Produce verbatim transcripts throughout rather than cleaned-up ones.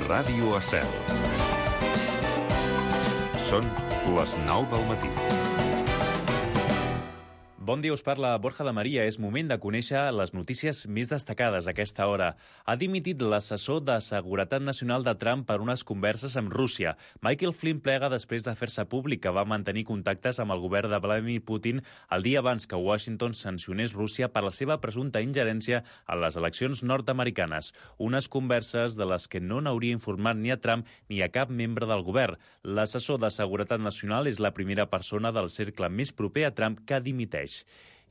Ràdio Estel. Són les nou del matí. Bon dia, us parla Borja de Maria. És moment de conèixer les notícies més destacades a aquesta hora. Ha dimitit l'assessor de Seguretat Nacional de Trump per unes converses amb Rússia. Michael Flynn plega després de fer-se públic que va mantenir contactes amb el govern de Vladimir Putin el dia abans que Washington sancionés Rússia per la seva presumpta ingerència en les eleccions nord-americanes. Unes converses de les que no n'hauria informat ni a Trump ni a cap membre del govern. L'assessor de Seguretat Nacional és la primera persona del cercle més proper a Trump que dimiteix.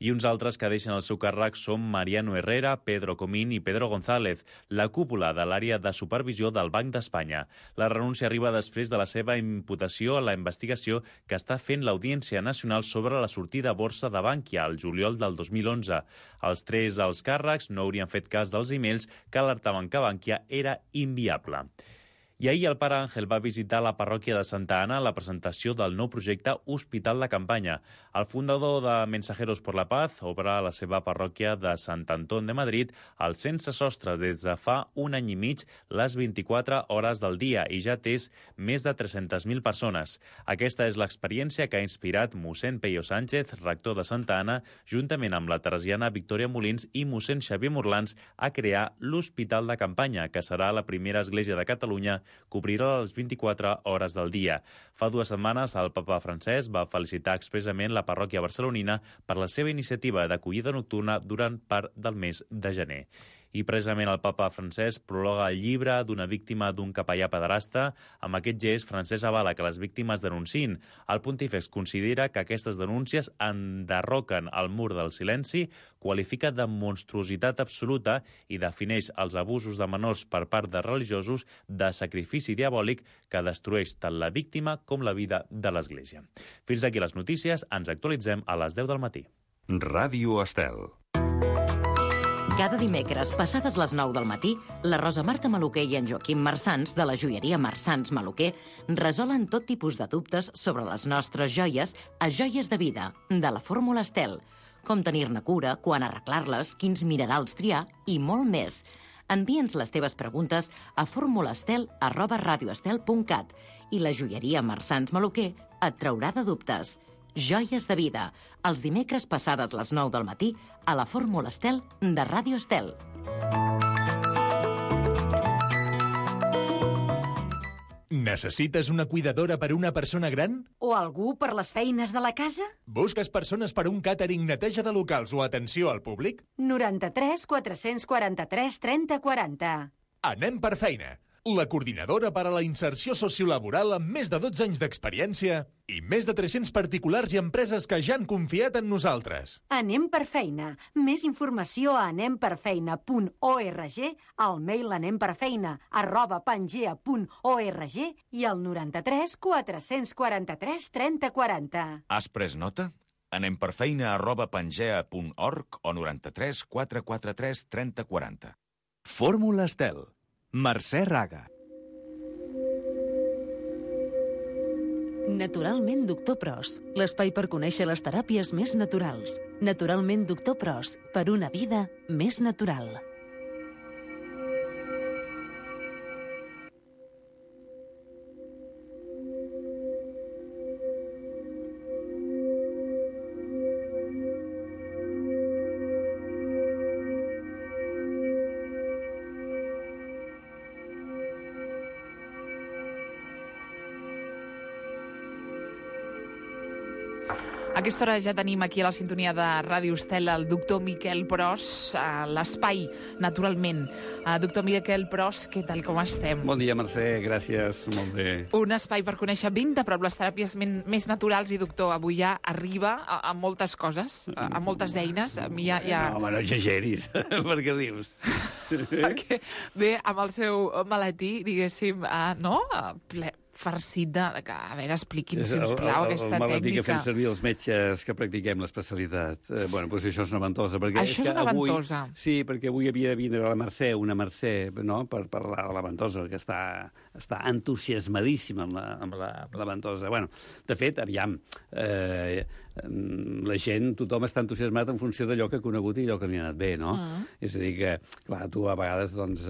I uns altres que deixen el seu càrrec són Mariano Herrera, Pedro Comín i Pedro González, la cúpula de l'àrea de supervisió del Banc d'Espanya. La renúncia arriba després de la seva imputació a la investigació que està fent l'Audiència Nacional sobre la sortida a borsa de Bankia al juliol del dos mil onze. Els tres alts càrrecs no haurien fet cas dels e-mails que alertaven que Bankia era inviable. I ahir el pare Àngel va visitar la parròquia de Santa Ana a la presentació del nou projecte Hospital de Campanya. El fundador de Mensajeros por la Paz obre a la seva parròquia de Sant Antón de Madrid al sense sostre des de fa un any i mig les vint-i-quatre hores del dia i ja té més de tres-centes mil persones. Aquesta és l'experiència que ha inspirat mossèn Peyo Sánchez, rector de Santa Ana, juntament amb la teresiana Victòria Molins i mossèn Xavier Morlans, a crear l'Hospital de Campanya, que serà la primera església de Catalunya que obrirà les vint-i-quatre hores del dia. Fa dues setmanes el papa Francesc va felicitar expressament la parròquia barcelonina per la seva iniciativa d'acollida nocturna durant part del mes de gener. I precisament el papa Francesc prologa el llibre d'una víctima d'un capellà pederasta. Amb aquest gest, Francesc avala que les víctimes denunciïn. El pontífex considera que aquestes denúncies enderroquen el mur del silenci, qualifica de monstruositat absoluta i defineix els abusos de menors per part de religiosos de sacrifici diabòlic que destrueix tant la víctima com la vida de l'Església. Fins aquí les notícies. Ens actualitzem a les deu del matí. Ràdio Estel. Cada dimecres, passades les nou del matí, la Rosa Marta Maluquer i en Joaquim Marsans, de la joieria Marsans Maluquer, resolen tot tipus de dubtes sobre les nostres joies a Joies de Vida, de la Fórmula Estel. Com tenir-ne cura, quan arreglar-les, quins minerals triar i molt més. Envia'ns les teves preguntes a formulastel arroba radioestel punt cat i la joieria Marsans Maluquer et traurà de dubtes. Joies de Vida, els dimecres passades les nou del matí a la Fórmula Estel de Ràdio Estel. Necessites una cuidadora per una persona gran? O algú per les feines de la casa? Busques persones per un càtering, neteja de locals o atenció al públic? noranta-tres quatre-cents quaranta-tres trenta quaranta. Anem per feina. La coordinadora per a la inserció sociolaboral amb més de dotze anys d'experiència i més de tres-cents particulars i empreses que ja han confiat en nosaltres. Anem per feina. Més informació a anem per feina punt org, al mail anemperfeina arroba pangea punt org i al noranta-tres quatre-cents quaranta-tres trenta quaranta. Has pres nota? Anem per feina arroba pangea punt org o noranta-tres quatre-cents quaranta-tres trenta quaranta. Fórmula Estel. Mercè Raga. Naturalment Doctor Pros, l'espai per conèixer les teràpies més naturals. Naturalment Doctor Pros, per una vida més natural. A aquesta hora ja tenim aquí a la sintonia de Ràdio Estel el doctor Miquel Pros, a l'espai, naturalment. Uh, doctor Miquel Pros, què tal, com estem? Bon dia, Mercè, gràcies, molt bé. Un espai per conèixer ben de prop les teràpies men, més naturals i, doctor, avui ja arriba a, a moltes coses, a, a moltes eines. A mi ja, ja... No, home, no exageris, per què dius? Perquè, bé, amb el seu maletí, diguéssim, uh, no?, uh, ple... farcit de... A veure, expliqui'm, sisplau, el, el, aquesta tècnica. El maletí que fem servir els metges que practiquem l'especialitat. Eh, bueno, doncs això és una ventosa. Perquè això és, és una avui, ventosa? Sí, perquè avui havia de vindre la Mercè, una Mercè, no?, per parlar de la ventosa, que està, està entusiasmadíssima amb la, amb la, la ventosa. Bueno, de fet, aviam, eh, la gent, tothom està entusiasmat en funció d'allò que ha conegut i allò que li ha anat bé, no? Mm. És a dir que, clar, tu a vegades, doncs,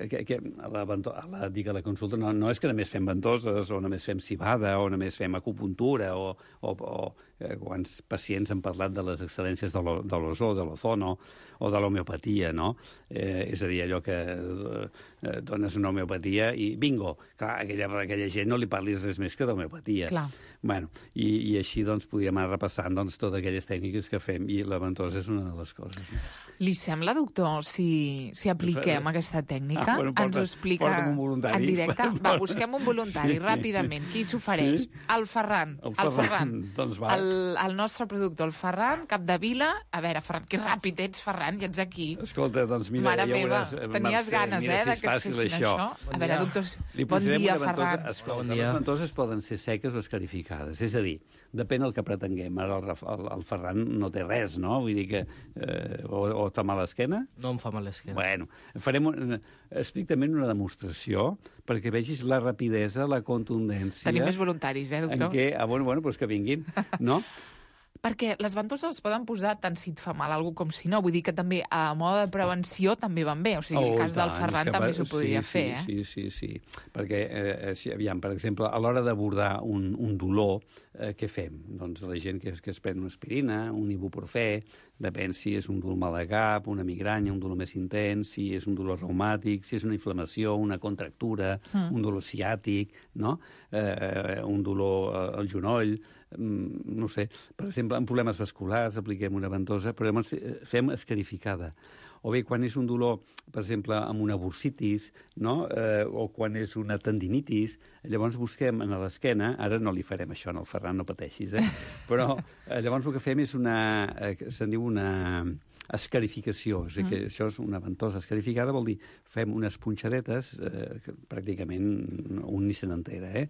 que, que a la, a la, dic, a la consulta no, no és que només fem ventoses o només fem cibada o només fem acupuntura o, o, o eh, quants pacients han parlat de les excel·lències de l'ozó, de l'ozono o de l'homeopatia, no? Eh, és a dir, allò que eh, dones una homeopatia i bingo! Clar, aquella, aquella gent no li parlis res més que d'homeopatia. Clar. Bueno, i, i així, doncs, podíem anar repassant doncs, totes aquelles tècniques que fem i la ventosa és una de les coses. No? Li sembla, doctor, si, si apliquem aquesta tècnica? Ah, bueno, porta, ens ho explica un voluntari. En directe? Va, busquem un voluntari, sí. Ràpidament. Qui s'ofereix? Sí. El Ferran. El Ferran. El, Ferran. Doncs va. El, el nostre productor, el Ferran, Capdevila. A veure, Ferran, que ràpid ets, Ferran, i ets aquí. Escolta, doncs mira... Mare ja meva, veuràs, tenies Mercè, ganes, mira, eh, si de que et fessin això. Bon a veure, doctors, bon dia, Ferran. Escolta, bon dia. Les ventoses poden ser seques o escarificades. És a dir, depèn del que pretenguem. Ara el, el, el Ferran no té res, no? Vull dir que... Eh, o, o està mal l'esquena? No em fa mal l'esquena. Bueno, farem un, estrictament una demostració perquè vegis la rapidesa, la contundència... Tenim més voluntaris, eh, doctor? En què... Ah, bueno, bueno, doncs que vinguin, no? Perquè les ventoses es poden posar tant si et fa mal algú com si no. Vull dir que també a mode de prevenció també van bé. O sigui, oh, el cas tant, del Ferran també s'ho podria sí, fer, sí, eh? Sí, sí, sí. Perquè, eh, si, aviam, per exemple, a l'hora d'abordar un, un dolor, eh, què fem? Doncs la gent que es, que es pren una aspirina, un ibuprofè, depèn si és un dolor mal de cap, una migranya, un dolor més intens, si és un dolor reumàtic, si és una inflamació, una contractura, mm. un dolor ciàtic, no? Eh, un dolor al genoll, no sé, per exemple, en problemes vasculars apliquem una ventosa, però llavors fem escarificada. O bé, quan és un dolor, per exemple, amb una bursitis, no? eh, o quan és una tendinitis, llavors busquem en l'esquena, ara no li farem això, no, el Ferran, no pateixis, eh? però eh, llavors el que fem és una, eh, se'n diu una escarificació, és a dir, que això és una ventosa escarificada, vol dir, fem unes punxadetes, eh, que pràcticament un ni se n'entera, eh?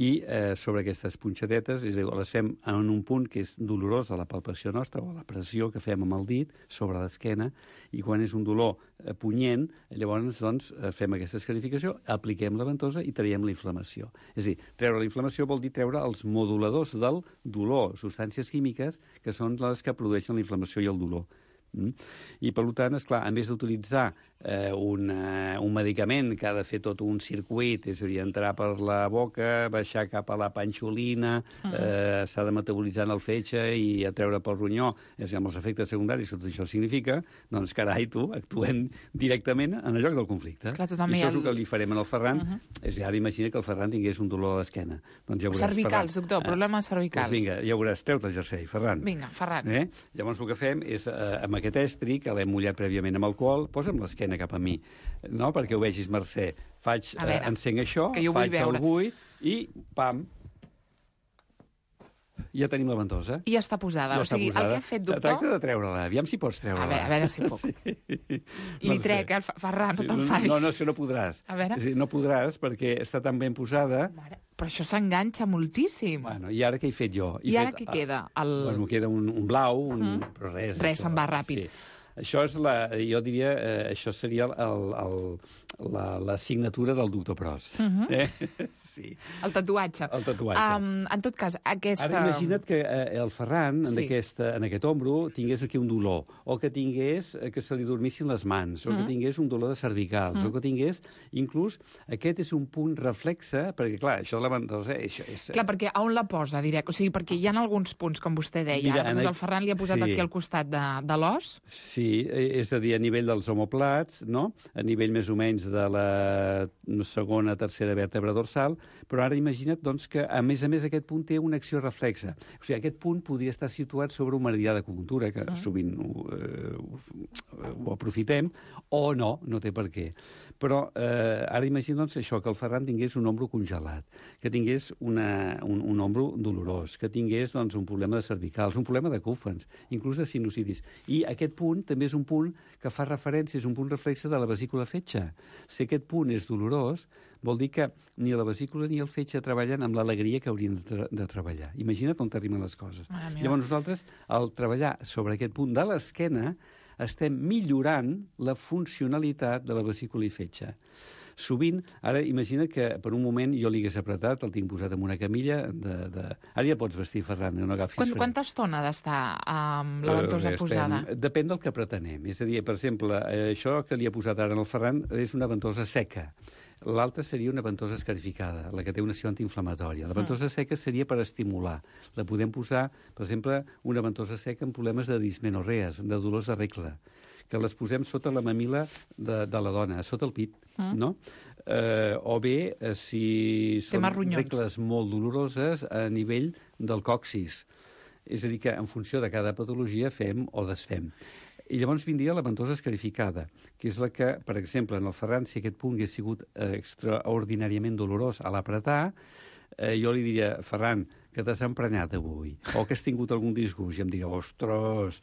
I eh, sobre aquestes punxadetes, és a dir, les fem en un punt que és dolorós a la palpació nostra, o a la pressió que fem amb el dit sobre l'esquena, i quan és un dolor eh, punyent, llavors doncs, fem aquesta escarificació, apliquem la ventosa i traiem la inflamació. És a dir, treure la inflamació vol dir treure els moduladors del dolor, substàncies químiques que són les que produeixen la inflamació i el dolor. Mm? I, per tant, esclar, en vez d'utilitzar eh, un, eh, un medicament que ha de fer tot un circuit, és a dir, entrar per la boca, baixar cap a la panxolina, mm. eh, s'ha de metabolitzar en el fetge i a treure pel ronyó, és a dir, amb els efectes secundaris que tot això significa, doncs, carai, tu, actuem directament en el lloc del conflicte. Clar, I això és el que li farem al Ferran. Uh -huh. És a dir, ara imagina que el Ferran tingués un dolor a l'esquena. Doncs ja veuràs, cervicals, Ferran. doctor, problemes cervicals. Doncs vinga, ja veuràs, treu-te el jersei, Ferran. Vinga, Ferran. Eh? Llavors el que fem és, eh, amb aquest estri, que l'hem mullat prèviament amb alcohol, posa'm l'esquena cap a mi, no? Perquè ho vegis, Mercè. Faig, veure, eh, encenc això, faig el bull i, pam, ja tenim la ventosa. I ja està posada. Ja o sigui, posada. El que ha fet, doctor... Tracta de treure-la. Aviam si pots treure-la. A veure, a veure si puc. Sí. Li trec, eh, Ferran, no te'n facis. No, no, és que no podràs. A veure. És dir, no podràs perquè està tan ben posada... Mare, però això s'enganxa moltíssim. Bueno, i ara què he fet jo? He I ara fet, què queda? El... Bueno, queda un, un blau, un... Uh -huh. però res. Res, se'n va ràpid. Sí. Això és la, jo diria, eh, això seria el, el, la, la signatura del doctor Pros. Uh -huh. eh? Sí. El tatuatge. El tatuatge. Um, en tot cas, aquesta... Ara imagina't que eh, el Ferran, en, sí. aquesta, en aquest ombro, tingués aquí un dolor, o que tingués eh, que se li dormissin les mans, o mm. que tingués un dolor de cervicals, mm. o que tingués... Inclús, aquest és un punt reflexe, perquè, clar, això de la ventosa... Això és... Clar, perquè on la posa, direct? O sigui, perquè hi ha alguns punts, com vostè deia. Mira, Ara, el Ferran li ha posat sí. aquí al costat de, de l'os. Sí, és a dir, a nivell dels omoplats, no? A nivell més o menys de la segona, tercera vèrtebra dorsal, però ara imagina't doncs, que, a més a més, aquest punt té una acció reflexa. O sigui, aquest punt podria estar situat sobre un meridià d'acupuntura, que mm. sovint ho, eh, ho, ho aprofitem, o no, no té per què. Però eh, ara imagina't doncs, això, que el Ferran tingués un ombro congelat, que tingués una, un, un ombro dolorós, que tingués doncs, un problema de cervicals, un problema de còfens, inclús de sinusitis. I aquest punt també és un punt que fa referència, és un punt reflexe de la vesícula fetge. Si aquest punt és dolorós, vol dir que ni la vesícula ni el fetge treballen amb l'alegria que haurien de, tra de treballar. Imagina't on t'arriben les coses. Ah, Llavors nosaltres, al treballar sobre aquest punt de l'esquena, estem millorant la funcionalitat de la vesícula i fetge. sovint, ara imagina que per un moment jo li hagués apretat, el tinc posat en una camilla de... de... Ara ja pots vestir, Ferran, no agafis Quant, fred. Quanta estona ha d'estar amb la ventosa Eh, posada? estem- Depèn del que pretenem. És a dir, per exemple, eh, això que li ha posat ara en el Ferran és una ventosa seca. L'altra seria una ventosa escarificada, la que té una acció antiinflamatòria. La ventosa seca seria per estimular. La podem posar, per exemple, una ventosa seca amb problemes de dismenorrees, de dolors de regla, que les posem sota la mamila de, de la dona, sota el pit, mm. no? Eh, o bé, eh, si són regles molt doloroses a nivell del coccis. És a dir, que en funció de cada patologia fem o desfem. I llavors vindria la ventosa escarificada, que és la que, per exemple, en el Ferran, si aquest punt hagués sigut eh, extraordinàriament dolorós a l'apretar, eh, jo li diria, Ferran, que t'has emprenyat avui, o que has tingut algun disgust, i em diria, ostres,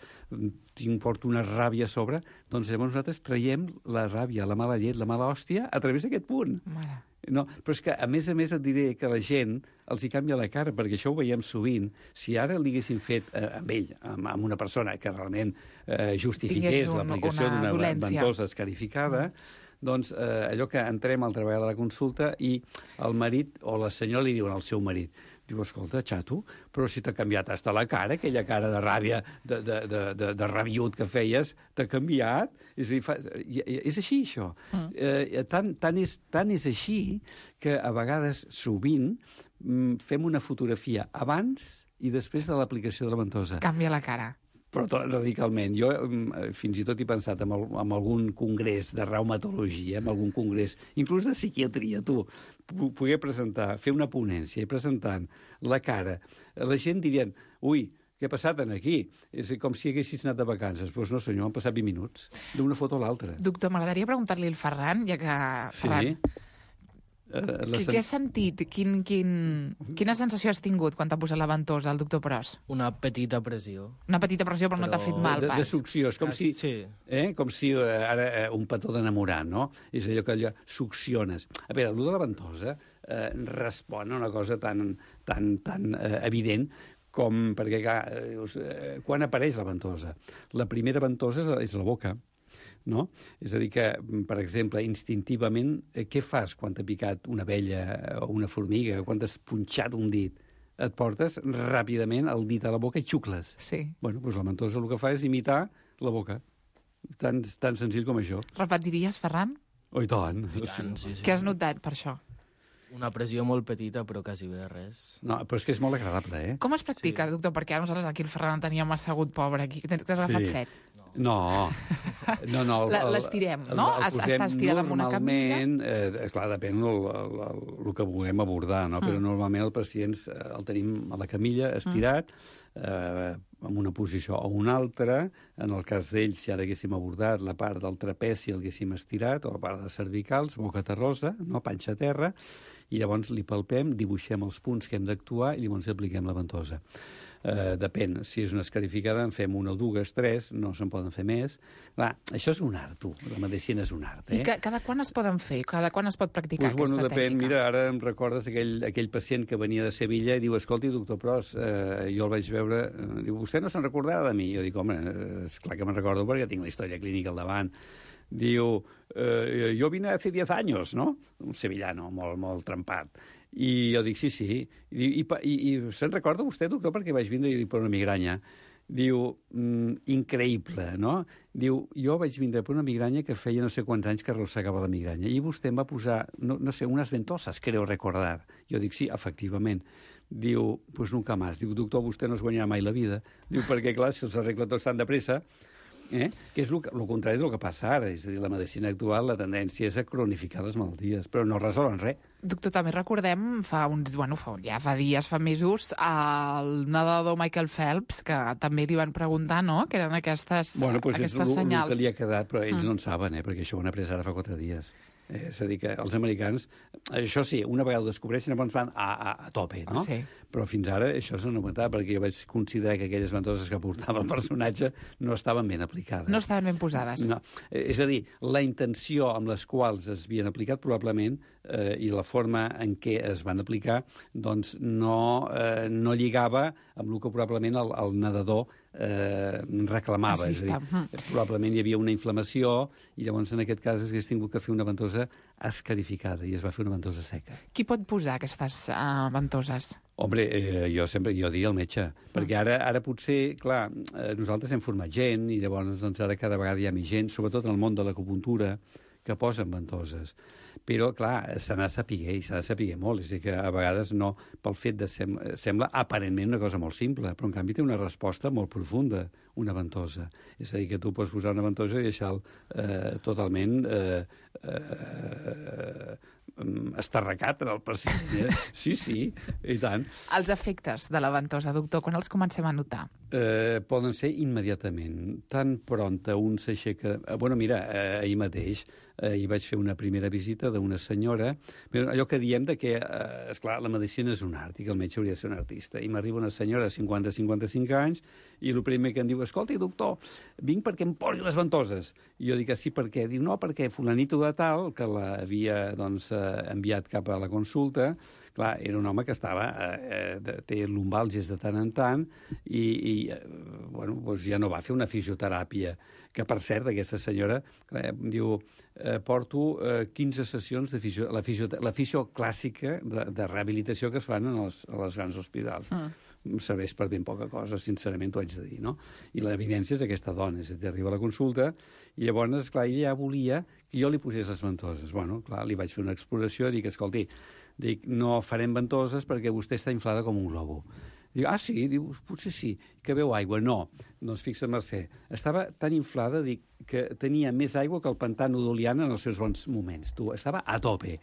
tinc, porto una ràbia a sobre, doncs llavors nosaltres traiem la ràbia, la mala llet, la mala hòstia, a través d'aquest punt. Mare. No, però és que, a més a més, et diré que la gent els hi canvia la cara, perquè això ho veiem sovint. Si ara li haguessin fet eh, amb ell, amb, amb una persona que realment eh, justifiqués un, l'aplicació una d'una dolència. ventosa escarificada, mm. doncs eh, allò que entrem al treball de la consulta i el marit o la senyora li diuen al seu marit, diu, escolta, xato, però si t'ha canviat hasta la cara, aquella cara de ràbia, de, de, de, de, de rabiut que feies, t'ha canviat. És a dir, fa, és així, això. Mm. Eh, tant, tant, és, tant és així que a vegades, sovint, fem una fotografia abans i després de l'aplicació de la ventosa. Canvia la cara. Però tot radicalment. Jo fins i tot he pensat en, el, en algun congrés de reumatologia, en algun congrés, inclús de psiquiatria, tu, poder presentar, fer una ponència i presentant la cara. La gent dirien, ui, què ha passat aquí? És com si haguessis anat de vacances. Doncs pues no, senyor, han passat vint minuts, d'una foto a l'altra. Doctor, m'agradaria preguntar-li al Ferran, ja que... Sí. Ferran, Uh, Què, què has sentit? Quin, quin, quina sensació has tingut quan t'ha posat la ventosa el doctor Pros? Una petita pressió. Una petita pressió, però, però... no t'ha fet mal, de, pas. De succió, és com ah, si, sí. eh, com si uh, ara uh, un petó d'enamorar, no? És allò que allò succiones. A veure, allò de la ventosa uh, respon a una cosa tan, tan, tan uh, evident com, perquè, clar, uh, quan apareix la ventosa? La primera ventosa és la boca, no? És a dir que, per exemple, instintivament, eh, què fas quan t'ha picat una abella o una formiga, quan t'has punxat un dit? Et portes ràpidament el dit a la boca i xucles. Sí. Bueno, doncs la ventosa el que fa és imitar la boca. Tan, tan senzill com això. Repetiries, Ferran? Oh, i tant. I tant, sí, sí. Què has notat per això? Una pressió molt petita, però quasi bé res. No, però és que és molt agradable, eh? Com es practica, sí. doctor? Perquè ara nosaltres aquí el Ferran el teníem assegut, pobre, aquí. T'has agafat Sí. fred? No, no, no. el- el- L'estirem, no? el- el Es- posem Està estirat amb una camilla? Normalment, eh, clar, depèn el, el, el, el que vulguem abordar, no? Mm. Però normalment el pacient eh, el tenim a la camilla estirat, mm. eh, en una posició o una altra. En el cas d'ells, si ara haguéssim abordat la part del trapeci, el haguéssim estirat, o la part de cervicals, boca terrosa, no? Panxa a terra, i llavors li palpem, dibuixem els punts que hem d'actuar i llavors apliquem la ventosa. Uh, depèn, si és una escarificada en fem una o dues, tres, no se'n poden fer més. Clar, això és un art, tu, la medicina és un art, eh? I ca cada quan es poden fer? Cada quan es pot practicar pues, bueno, aquesta depèn. tècnica? Mira, ara em recordes aquell, aquell pacient que venia de Sevilla i diu, escolti, doctor Pros, eh, jo el vaig veure, eh, diu, vostè no se'n recordarà de mi? Jo dic, home, eh, és clar que me'n recordo perquè tinc la història clínica al davant. Diu, eh, jo vine hace diez años, no? Un sevillano molt, molt trempat. I jo dic, sí, sí. I, i, i, i se'n recorda vostè, doctor, perquè vaig vindre i dic, per una migranya. Diu, mm, increïble, no? Diu, jo vaig vindre per una migranya que feia no sé quants anys que arrossegava la migranya. I vostè em va posar, no, no sé, unes ventoses, creo recordar. Jo dic, sí, efectivament. Diu, pues nunca más. Diu, doctor, vostè no es guanyarà mai la vida. Diu, perquè, clar, si els arregla tots tan de pressa, eh? que és el, el contrari del que passa ara. És a dir, la medicina actual, la tendència és a cronificar les malalties, però no resolen res. Doctor, també recordem fa uns, bueno, fa, ja fa dies, fa mesos, el nedador Michael Phelps, que també li van preguntar, no?, que eren aquestes, bueno, pues aquestes és senyals. el que li ha quedat, però ells Mm. no en saben, eh? perquè això ho han après ara fa quatre dies. Eh, és a dir, que els americans, això sí, una vegada ho descobreixen, llavors van a, a, a tope, no? Sí. Però fins ara això s'ha notat, perquè jo vaig considerar que aquelles ventoses que portava el personatge no estaven ben aplicades. No estaven ben posades. No. Eh, És a dir, la intenció amb les quals es havien aplicat probablement eh, i la forma en què es van aplicar doncs no, eh, no lligava amb el que probablement el, el nedador eh, reclamava. És a dir, probablement hi havia una inflamació i llavors en aquest cas s'hagués tingut que fer una ventosa escarificada i es va fer una ventosa seca. Qui pot posar aquestes uh, ventoses? Hombre, eh, jo sempre jo diria el metge, perquè ara ara potser, clar, eh, nosaltres hem format gent i llavors doncs, ara cada vegada hi ha més gent, sobretot en el món de l'acupuntura, que posen ventoses. Però, clar, s'ha de saber, i s'ha de saber molt. És a dir, que a vegades no, pel fet de... Sem sembla aparentment una cosa molt simple, però en canvi té una resposta molt profunda, una ventosa. És a dir, que tu pots posar una ventosa i deixar-lo eh, totalment eh, eh, estarracat en el pacient. Eh? Sí, sí, i tant. Els efectes de la ventosa, doctor, quan els comencem a notar? Eh, poden ser immediatament. Tan prompte un s'aixeca... Eh, bueno, mira, eh, ahir mateix eh, hi vaig fer una primera visita d'una senyora, però allò que diem de que, eh, esclar, la medicina és un art i que el metge hauria de ser un artista. I m'arriba una senyora de cinquanta a cinquanta-cinc anys i el primer que em diu, escolta, doctor, vinc perquè em posi les ventoses. I jo dic, sí, per què? Diu, no, perquè fulanito de tal, que l'havia doncs, eh, enviat cap a la consulta, clar, era un home que estava, eh, eh, té lumbàlgies de tant en tant i, i eh, bueno, doncs ja no va fer una fisioteràpia, que per cert, aquesta senyora clar, diu, eh, porto eh, quinze sessions de fisio, la, fisio, la fisio clàssica de, de rehabilitació que es fan en els, a les grans hospitals. Mm. Serveix per ben poca cosa, sincerament t'ho haig de dir, no? I l'evidència és aquesta dona, és a dir, arriba a la consulta i llavors, clar, ella ja volia que jo li posés les ventoses. Bueno, clar, li vaig fer una exploració i dic, escolti, dic, no farem ventoses perquè vostè està inflada com un globo. Diu, ah, sí? Diu, potser sí. Que veu aigua? No. Doncs fixa, Mercè, estava tan inflada, dic, que tenia més aigua que el pantà Nudoliana en els seus bons moments. Tu, estava a tope.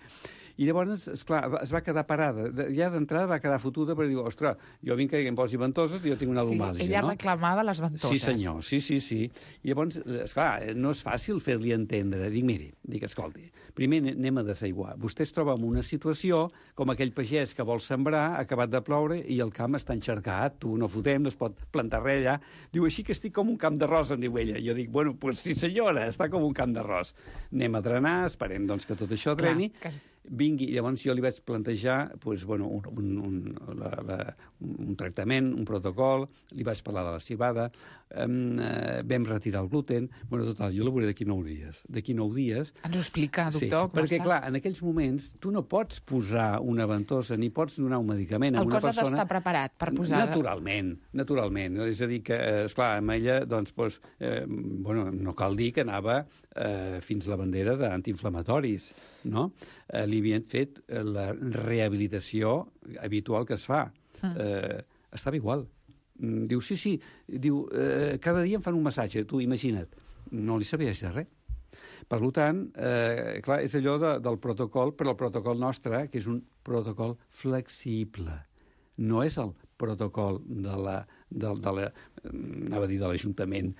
I llavors, esclar, es va quedar parada. Ja d'entrada va quedar fotuda perquè diu, ostres, jo vinc que em posi ventoses i jo tinc una lumàlgia, sí, ella no? reclamava les ventoses. Sí, senyor, sí, sí, sí. I llavors, esclar, no és fàcil fer-li entendre. Dic, miri, dic, escolti, primer anem a desaiguar. Vostè es troba en una situació com aquell pagès que vol sembrar, ha acabat de ploure i el camp està encharcat, tu no fotem, no es pot plantar res allà. Diu, així que estic com un camp d'arròs, em diu ella. Jo dic, bueno, pues sí senyora, està com un camp d'arròs. Anem a drenar, esperem doncs que tot això dreni. Clar, que... Vingui, llavors jo li vaig plantejar pues, bueno, un, un, un, la, la, un tractament, un protocol, li vaig parlar de la cibada, um, eh, vam retirar el gluten, bueno, total, jo la veuré d'aquí nou dies. D'aquí nou dies... Ens ho explica, doctor, sí, com perquè, està? clar, en aquells moments tu no pots posar una ventosa ni pots donar un medicament a el una persona... El persona... cos ha d'estar preparat per posar... Naturalment, naturalment. És a dir, que, eh, esclar, amb ella, doncs, pues, eh, bueno, no cal dir que anava eh, fins la bandera d'antiinflamatoris, no? Eh, li havien fet eh, la rehabilitació habitual que es fa. Mm. Eh, estava igual. Mm, diu, sí, sí, diu, eh, cada dia em fan un massatge, tu imagina't. No li serveix de res. Per tant, eh, clar, és allò de, del protocol, però el protocol nostre, que és un protocol flexible. No és el protocol de la, de, de la, anava a dir de l'Ajuntament,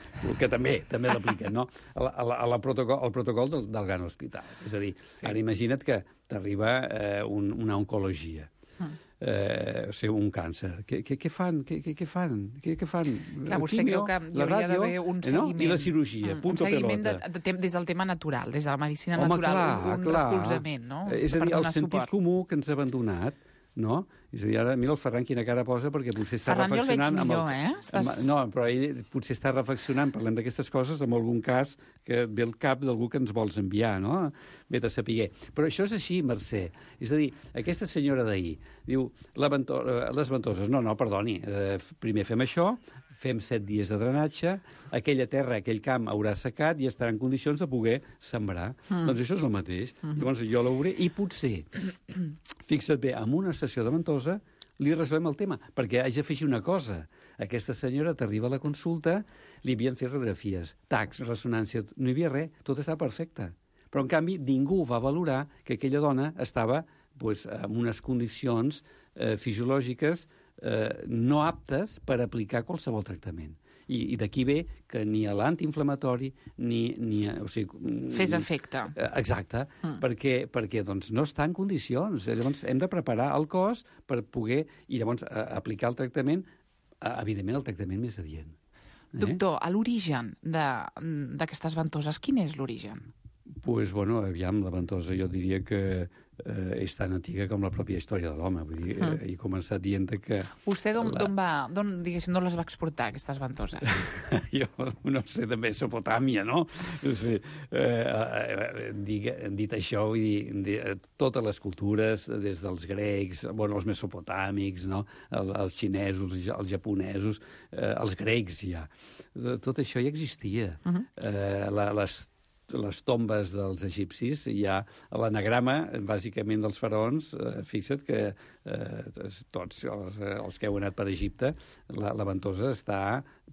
que també també l'apliquen, no? A la, a la, a la protocol, el protocol del, del gran hospital. És a dir, sí. Ara imagina't que t'arriba eh, un, una oncologia, mm. eh, o sigui, un càncer. Què, què, què fan? Què, què, què fan? Què, què fan? Clar, vostè creu que hi hauria d'haver un seguiment. No? I la cirurgia, mm. punto un seguiment de, pelota. de, de, des del tema natural, des de la medicina Home, natural, clar, un clar. recolzament, no? És a dir, per el sentit suport. comú que ens ha abandonat, no? És a dir, ara mira el Ferran quina cara posa perquè potser està Ferran, reflexionant... Ferran, jo el veig millor, amb el, eh? Estàs... amb, no, però ell potser està reflexionant, parlem d'aquestes coses, amb algun cas que ve al cap d'algú que ens vols enviar, no? Vet a saber. Però això és així, Mercè. És a dir, aquesta senyora d'ahir diu, la vento les ventoses, no, no, perdoni, eh, primer fem això, fem set dies de drenatge, aquella terra, aquell camp haurà secat i estarà en condicions de poder sembrar. Mm. Doncs això és el mateix. Mm -hmm. Llavors jo l'hauré, i potser, fixa't bé, amb una sessió de ventosa li resolem el tema, perquè haig d'afegir una cosa. Aquesta senyora t'arriba a la consulta, li havien fet radiografies, tacs, ressonància, no hi havia res, tot estava perfecte. Però, en canvi, ningú va valorar que aquella dona estava pues, en unes condicions eh, fisiològiques eh, no aptes per aplicar qualsevol tractament. I, i d'aquí ve que ni a l'antiinflamatori ni... ni o sigui, fes efecte. Exacte, mm. perquè, perquè doncs, no està en condicions. Llavors hem de preparar el cos per poder, i llavors a, aplicar el tractament, a, evidentment el tractament més adient. Eh? Doctor, a l'origen d'aquestes ventoses, quin és l'origen? Doncs, pues, bueno, aviam, la ventosa jo diria que eh, és tan antiga com la pròpia història de l'home. Vull dir, mm. eh, he començat dient que... Vostè d'on la... va, d'on, diguéssim, d'on les va exportar, aquestes ventoses? Jo no sé, de Mesopotàmia, no? O sigui, eh, eh, dic, dit això, vull dir, de, totes les cultures, des dels grecs, bueno, els mesopotàmics, no? El, els xinesos, els japonesos, eh, els grecs ja. Tot això ja existia. Uh-huh. eh, la, les les tombes dels egipcis, hi ha l'anagrama, bàsicament, dels faraons. Eh, fixa't que eh, tots els, els que heu anat per Egipte, la, la ventosa està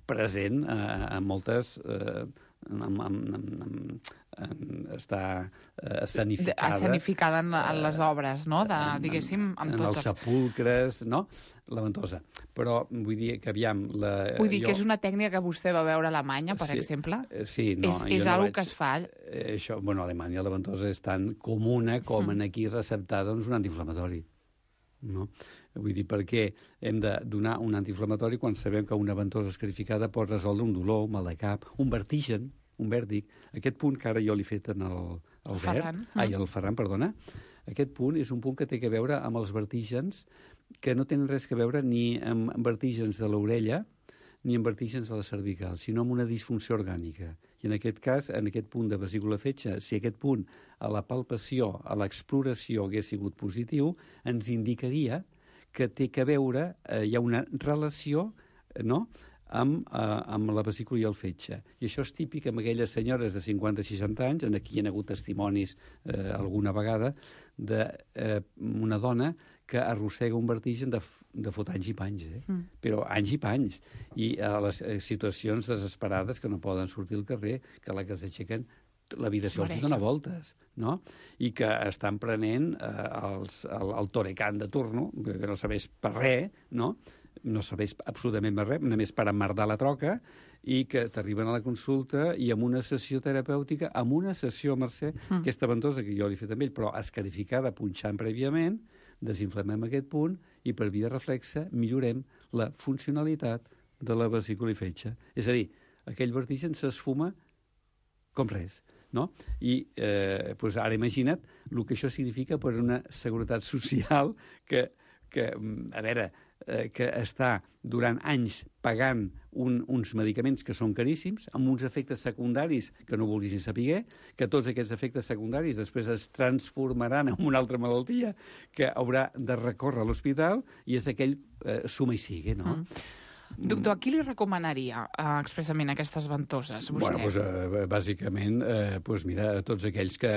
present eh, en moltes... Eh, en, en, en, en, en, està eh, escenificada. Escenificada en, en les obres, no? De, diguéssim, amb en tots els sepulcres, no? La ventosa. Però vull dir que, aviam... La, vull dir jo... que és una tècnica que vostè va veure a Alemanya, per sí, exemple? Sí, no. És, és no algo vaig... que es fa... Eh, això, bueno, a Alemanya la ventosa és tan comuna com en aquí receptar doncs, un antiinflamatori. No? Vull dir, per què hem de donar un antiinflamatori quan sabem que una ventosa escarificada pot resoldre un dolor, un mal de cap, un vertigen, un vèrtic. Aquest punt que ara jo l'he fet en el, el, el Ferran. Verd, ai, el Ferran, perdona, aquest punt és un punt que té a veure amb els vertígens que no tenen res a veure ni amb vertígens de l'orella ni amb vertígens de la cervical, sinó amb una disfunció orgànica. I en aquest cas, en aquest punt de vesícula fetge, si aquest punt a la palpació, a l'exploració hagués sigut positiu, ens indicaria que té a veure, eh, hi ha una relació, no?, amb, eh, amb la vesícula i el fetge. I això és típic amb aquelles senyores de cinquanta a seixanta anys, en aquí hi ha hagut testimonis eh, alguna vegada, d'una eh, una dona que arrossega un vertigen de, de fot anys i panys, eh? Mm. Però anys i panys. I a les eh, situacions desesperades que no poden sortir al carrer, que la que s'aixequen l'habitació els dona voltes, no? I que estan prenent eh, els, el, el torecant de turno, que, que no sabés per res, no? No sabés absolutament per res, només per emmerdar la troca, i que t'arriben a la consulta i amb una sessió terapèutica, amb una sessió, Mercè, mm. aquesta ventosa que jo l'he fet amb ell, però escarificada, punxant prèviament, desinflamem aquest punt i per via reflexa millorem la funcionalitat de la vesícula i fetge. És a dir, aquell vertigen s'esfuma com res. No? I eh, doncs ara imagina't el que això significa per una seguretat social que, que a veure, eh, que està durant anys pagant un, uns medicaments que són caríssims, amb uns efectes secundaris que no vulguis ni saber, que tots aquests efectes secundaris després es transformaran en una altra malaltia que haurà de recórrer a l'hospital, i és aquell eh, suma i sigue, no? Mm. Doctor, a qui li recomanaria eh, expressament aquestes ventoses, vostè? Bueno, doncs, eh, bàsicament, eh, doncs mira, a tots aquells que,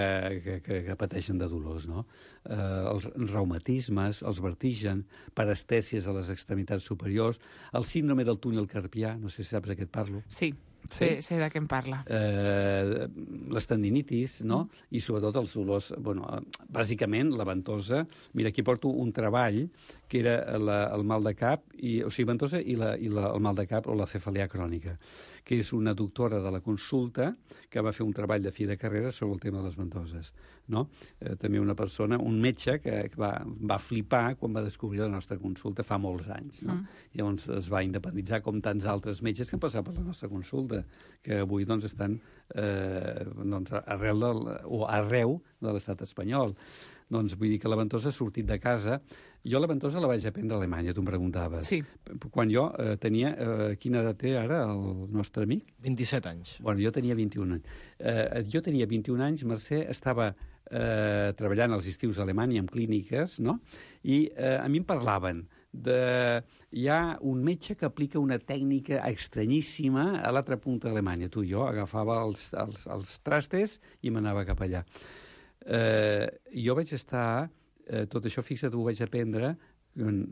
que, que, que pateixen de dolors, no? Eh, els reumatismes, els vertigen, parestèsies a les extremitats superiors, el síndrome del túnel carpià, no sé si saps de què et parlo. Sí. Sí, sé de què em parla. Eh, les tendinitis, no? Mm. I sobretot els dolors... Bueno, bàsicament, la ventosa... Mira, aquí porto un treball que era la, el mal de cap, i, o sigui, ventosa i, la, i la, el mal de cap o la cefalea crònica, que és una doctora de la consulta que va fer un treball de fi de carrera sobre el tema de les ventoses, no? Eh, també una persona, un metge, que, que va, va flipar quan va descobrir la nostra consulta fa molts anys, no? Mm. Llavors es va independitzar com tants altres metges que han passat per la nostra consulta, que avui doncs, estan eh, doncs, arrel del, o arreu de l'estat espanyol. Doncs vull dir que la ventosa ha sortit de casa. Jo la ventosa la vaig aprendre a Alemanya, tu em preguntaves. Sí. Quan jo eh, tenia... Eh, quina edat té ara el nostre amic? vint-i-set anys. Bueno, jo tenia vint-i-un anys. Eh, jo tenia vint-i-un anys, Mercè, estava eh, treballant als estius a Alemanya en clíniques, no? I eh, a mi em parlaven de... Hi ha un metge que aplica una tècnica estranyíssima a l'altra punta d'Alemanya. Tu i jo agafava els, els, els trastes i m'anava cap allà. Eh, jo vaig estar, eh, tot això, fixa't, ho vaig aprendre,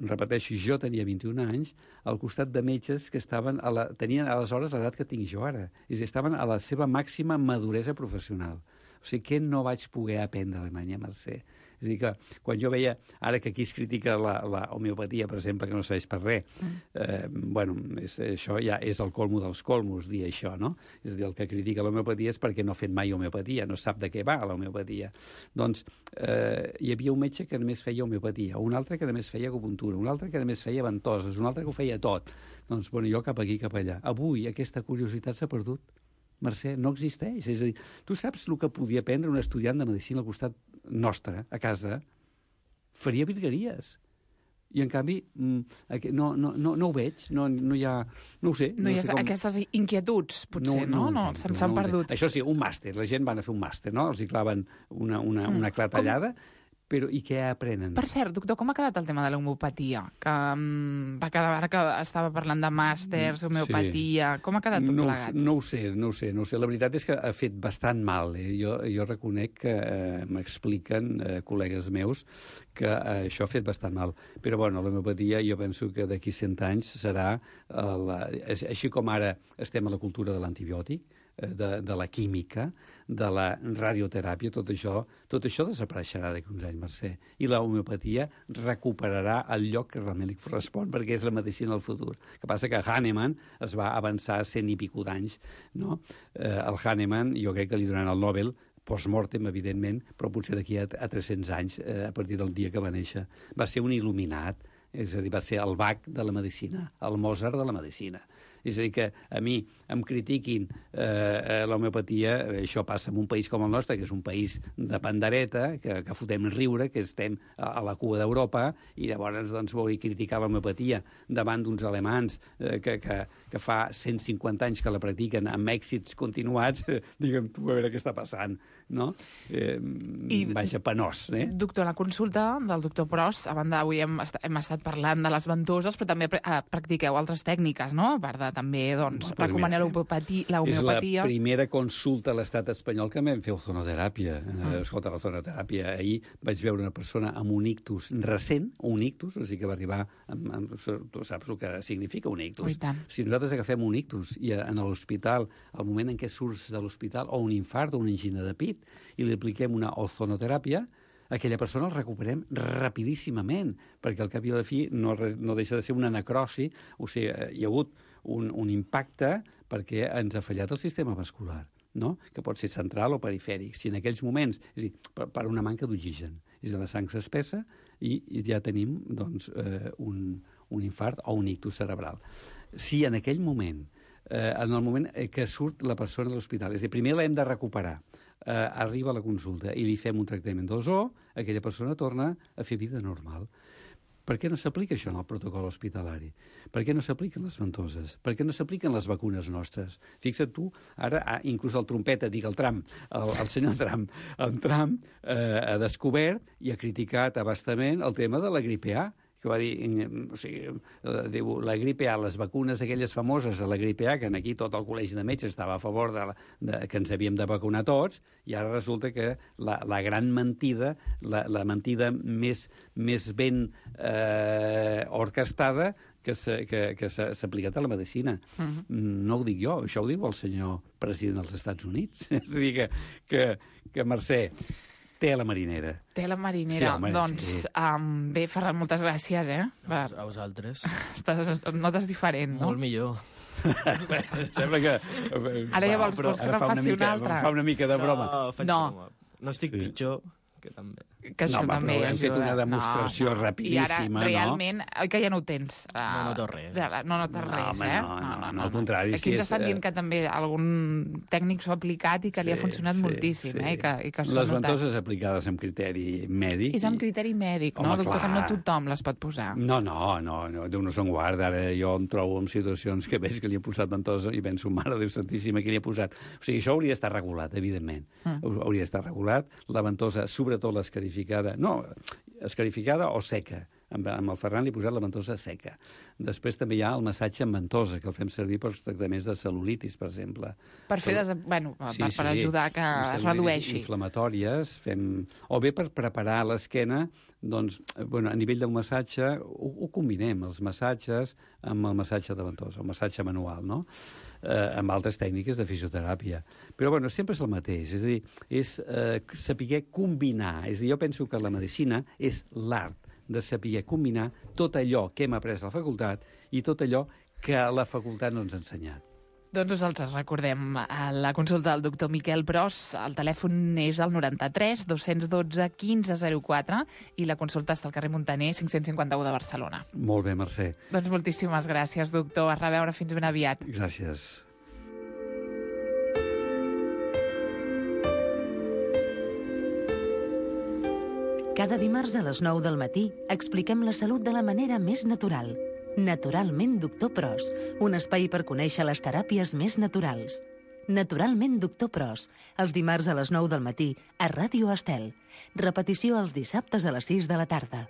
repeteixo, jo tenia vint-i-un anys, al costat de metges que estaven a la, tenien aleshores l'edat que tinc jo ara. És a dir, estaven a la seva màxima maduresa professional. O sigui, què no vaig poder aprendre a Alemanya, Mercè? És a dir, que quan jo veia, ara que aquí es critica la, la homeopatia, per exemple, que no serveix per res, mm. eh, bueno, és, això ja és el colmo dels colmos, dir això, no? És a dir, el que critica l'homeopatia és perquè no ha fet mai homeopatia, no sap de què va l'homeopatia. Doncs eh, hi havia un metge que només feia homeopatia, un altre que només feia acupuntura, un altre que només feia ventoses, un altre que ho feia tot. Doncs, bueno, jo cap aquí, cap allà. Avui aquesta curiositat s'ha perdut. Mercè, no existeix. És a dir, tu saps el que podia aprendre un estudiant de medicina al costat nostre, a casa, faria virgueries. I, en canvi, no, no, no, no ho veig, no, no hi ha... No ho sé. No, no hi ha sé com... aquestes inquietuds, potser, no? No, no, no se'n s'han no perdut. Això sí, un màster. La gent van a fer un màster, no? Els hi claven una, una, una clatellada... Com... Però i què aprenen? Per cert, doctor, com ha quedat el tema de l'homeopatia? Que um, va quedar ara que estava parlant de màsters, homeopatia... Sí. Com ha quedat tot no, plegat? No ho sé, no ho sé, no ho sé. La veritat és que ha fet bastant mal. Eh? Jo, jo reconec que eh, m'expliquen eh, col·legues meus que eh, això ha fet bastant mal. Però, bueno, l'homeopatia jo penso que d'aquí cent anys serà... Eh, la, així com ara estem a la cultura de l'antibiòtic, de, de la química, de la radioteràpia, tot això, tot això desapareixerà d'aquí uns anys, Mercè. I la homeopatia recuperarà el lloc que realment li correspon, perquè és la medicina del futur. El que passa que Hahnemann es va avançar cent i pico d'anys, no? Eh, el Hahnemann, jo crec que li donaran el Nobel, post-mortem, evidentment, però potser d'aquí a, a tres-cents anys, eh, a partir del dia que va néixer. Va ser un il·luminat, és a dir, va ser el Bach de la medicina, el Mozart de la medicina. És a dir, que a mi em critiquin eh, l'homeopatia, això passa en un país com el nostre, que és un país de pandereta, que, que fotem riure, que estem a, a la cua d'Europa, i llavors doncs, vull criticar l'homeopatia davant d'uns alemans eh, que, que, que fa cent cinquanta anys que la practiquen amb èxits continuats, eh, digue'm tu, a veure què està passant, no? Eh, I, vaja, penós, eh? Doctor, la consulta del doctor Pros, a banda, avui hem, est hem estat parlant de les ventoses, però també eh, practiqueu altres tècniques, no? A part de també, doncs, no, recomanar l'homeopatia. És la primera consulta a l'estat espanyol que vam fer ozonoteràpia. Mm. Escolta, l'ozonoteràpia. Ahir vaig veure una persona amb un ictus recent, un ictus, o sigui que va arribar... Amb, amb, tu saps el que significa un ictus. Oh, si nosaltres agafem un ictus i a, a l'hospital, al moment en què surts de l'hospital, o un infart o una angina de pit, i li apliquem una ozonoteràpia, aquella persona el recuperem rapidíssimament, perquè al cap i a la fi no, no deixa de ser una necrosi, o sigui, hi ha hagut un, un impacte perquè ens ha fallat el sistema vascular, no? Que pot ser central o perifèric. Si en aquells moments, és a dir, per, per una manca d'oxigen, és a dir, la sang s'espessa i, i ja tenim doncs, eh, un, un infart o un ictus cerebral. Si en aquell moment, eh, en el moment que surt la persona de l'hospital, és a dir, primer l'hem de recuperar, eh, arriba a la consulta i li fem un tractament d'ozó, aquella persona torna a fer vida normal. Per què no s'aplica això en el protocol hospitalari? Per què no s'apliquen les ventoses? Per què no s'apliquen les vacunes nostres? Fixa't tu, ara, ah, inclús el trompeta, dic el Trump, el, el senyor Trump, el Trump eh, ha descobert i ha criticat abastament el tema de la gripe A, que va dir, o sigui, diu, la gripe A, les vacunes aquelles famoses de la gripe A, que aquí tot el col·legi de metges estava a favor de, la, de que ens havíem de vacunar tots, i ara resulta que la, la gran mentida, la, la mentida més, més ben eh, orquestada que s'ha aplicat a la medicina. Uh-huh. No ho dic jo, això ho diu el senyor president dels Estats Units. És a dir, que, que, que Mercè, té la marinera. Té la marinera. Sí, home, doncs, sí. um, bé, Ferran, moltes gràcies, eh? Per... A vosaltres. Estàs, notes diferent, no? Molt millor. Sembla que... Ara ja vols, vols que te'n faci una altra. Fa una mica de broma. No, faig no. broma. No estic sí. pitjor, que també. Que això no, també hem ajuda. fet una demostració no, no. rapidíssima, I ara, realment, no? oi que ja no ho tens? Uh, no noto res. No notes no, res, home, eh? No, no, no, no, al contrari. Aquí ens estan dient que també algun tècnic s'ho ha aplicat i que li ha funcionat sí, moltíssim, sí. eh? I que, i que les ventoses aplicades amb criteri mèdic. És amb criteri mèdic, no? Home, Doctor, clar. que no tothom les pot posar. No, no, no, no Déu no se'n guarda. Ara jo em trobo en situacions que veig que li ha posat ventosa i penso, mare Déu santíssima, que li ha posat. O sigui, això hauria d'estar regulat, evidentment. Mm. Hauria d'estar regulat. La ventosa, sobretot l'escarificada, no, escarificada o seca. Amb, amb el Ferran li he posat la ventosa seca. Després també hi ha el massatge amb ventosa, que el fem servir per tractaments de cel·lulitis, per exemple. Per fer, des... bueno, sí, per, per sí, ajudar que es redueixi. Inflamatòries, fem... o bé per preparar l'esquena, doncs, bueno, a nivell del massatge, ho, ho combinem, els massatges amb el massatge de ventosa, el massatge manual, no? Eh, amb altres tècniques de fisioteràpia. Però, bueno, sempre és el mateix, és a dir, és eh, saber combinar. És a dir, jo penso que la medicina és l'art de saber combinar tot allò que hem après a la facultat i tot allò que la facultat no ens ha ensenyat. Doncs nosaltres recordem la consulta del doctor Miquel Pros. El telèfon és el noranta-tres dos-cents dotze quinze zero quatre i la consulta està al carrer Montaner cinc-cents cinquanta-u de Barcelona. Molt bé, Mercè. Doncs moltíssimes gràcies, doctor. A reveure, fins ben aviat. Gràcies. Cada dimarts a les nou del matí expliquem la salut de la manera més natural. Naturalment Doctor Pros, un espai per conèixer les teràpies més naturals. Naturalment Doctor Pros, els dimarts a les nou del matí a Ràdio Estel. Repetició els dissabtes a les sis de la tarda.